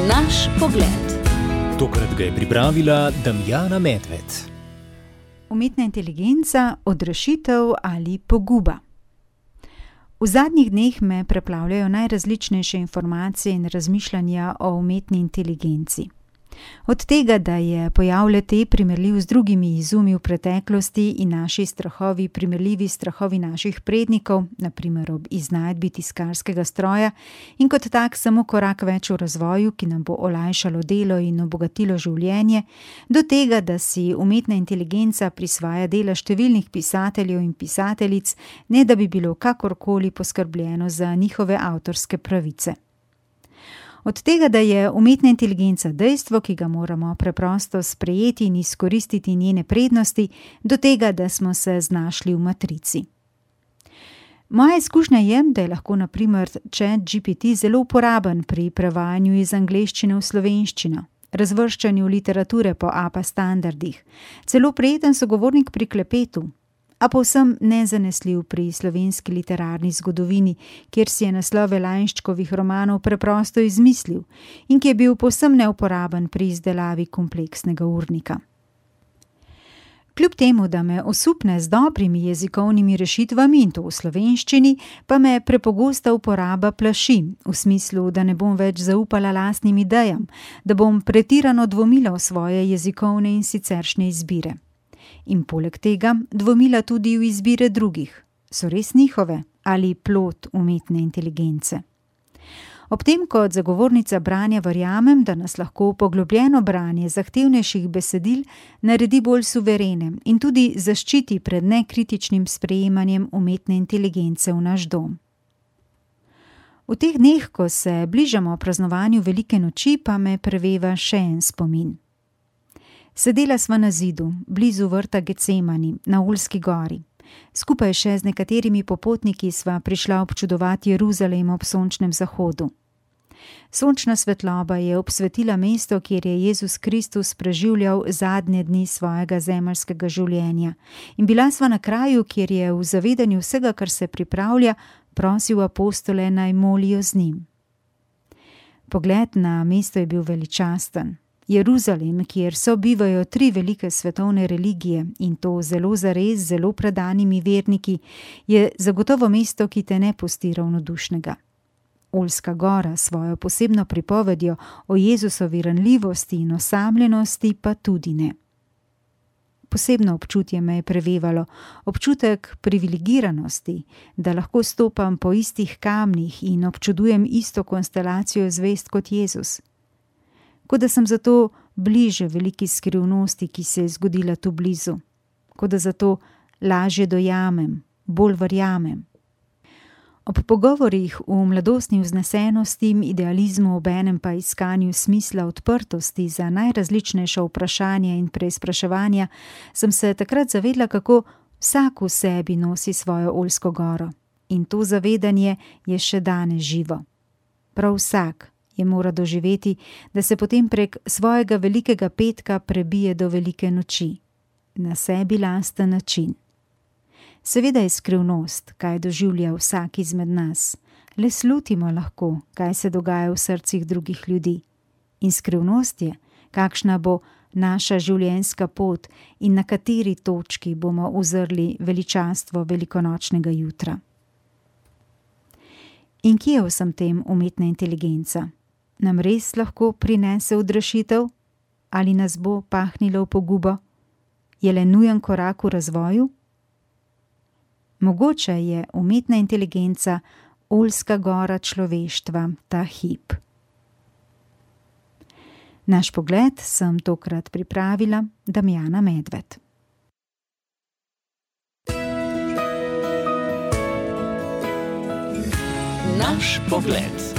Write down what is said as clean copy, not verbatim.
Naš pogled. Tokrat ga je pripravila Damjana Medved. Umetna inteligenca, odrešitev ali poguba. V zadnjih dneh me preplavljajo najrazličnejše informacije in razmišljanja o umetni inteligenci. Od tega, da je pojav le-te primerljiv z drugimi izumi v preteklosti in naši strahovi primerljivi s strahovi naših prednikov, na primer ob iznajdbi tiskarskega stroja, in kot tak samo korak več v razvoju, ki nam bo olajšalo delo in obogatilo življenje, do tega, da si umetna inteligenca prisvaja dela številnih pisateljev in pisateljic, ne da bi bilo kakorkoli poskrbljeno za njihove avtorske pravice. Od tega, da je umetna inteligenca dejstvo, ki ga moramo preprosto sprejeti in izkoristiti njene prednosti, do tega, da smo se znašli v matrici. Moja izkušnja je, da je lahko na primer ChatGPT zelo uporaben pri prevajanju iz angleščine v slovenščino, razvrščanju literature po APA standardih, celo prijeten sogovornik pri klepetu, a povsem nezanesljiv pri slovenski literarni zgodovini, kjer si je naslove Lainščkovih romanov preprosto izmislil in ki je bil povsem neuporaben pri izdelavi kompleksnega urnika. Kljub temu, da me osupne z dobrimi jezikovnimi rešitvami in to v slovenščini, pa me prepogosta uporaba plaši, v smislu, da ne bom več zaupala lastnim idejam, da bom pretirano dvomila v svoje jezikovne in siceršnje izbire. In poleg tega dvomila tudi v izbire drugih. So res njihove ali plod umetne inteligence? Ob tem kot zagovornica branja verjamem, da nas lahko poglobljeno branje zahtevnejših besedil naredi bolj suverene in tudi zaščiti pred nekritičnim sprejemanjem umetne inteligence v naš dom. V teh dneh, ko se bližamo praznovanju velike noči, pa me preveva še en spomin. Sedela sva na zidu, blizu vrta Getsemani, na Oljski gori. Skupaj še z nekaterimi popotniki sva prišla občudovati Jeruzalem ob sončnem zahodu. Sončna svetloba je obsvetila mesto, kjer je Jezus Kristus preživljal zadnje dni svojega zemeljskega življenja. In bila sva na kraju, kjer je v zavedanju vsega, kar se pripravlja, prosil apostole, naj molijo z njim. Pogled na mesto je bil veličasten. Jeruzalem, kjer sobivajo 3 velike svetovne religije in to zelo zares, zelo predanimi verniki, je zagotovo mesto, ki te ne pusti ravnodušnega. Oljska gora s svojo posebno pripovedjo o Jezusovi ranljivosti in osamljenosti pa tudi ne. Posebno občutje me je prevevalo, občutek privilegiranosti, da lahko stopam po istih kamnih in občudujem isto konstelacijo zvezd kot Jezus. Kot da sem zato bliže veliki skrivnosti, ki se je zgodila tu blizu. Kot da zato lažje dojamem, bolj verjamem. Ob pogovorih v mladostni vznesenosti, idealizmu, obenem pa iskanju smisla, odprtosti za najrazličnejša vprašanja in preizpraševanja, sem se takrat zavedla, kako vsak v sebi nosi svojo Oljsko goro. In to zavedanje je še danes živo. Prav vsak je mora doživeti, da se potem prek svojega velikega petka prebije do velike noči. Na sebi lasten način. Seveda je skrivnost, kaj doživlja vsak izmed nas. Le slutimo lahko, kaj se dogaja v srcih drugih ljudi. In skrivnost je, kakšna bo naša življenjska pot in na kateri točki bomo uzrli veličastvo velikonočnega jutra. In kje je vsem tem umetna inteligenca? Nam res lahko prinese odrešitev? Ali nas bo pahnilo v pogubo? Je le nujen korak v razvoju? Mogoče je umetna inteligenca Oljska gora človeštva ta hip. Naš pogled sem tokrat pripravila Damjana Medved. Naš pogled.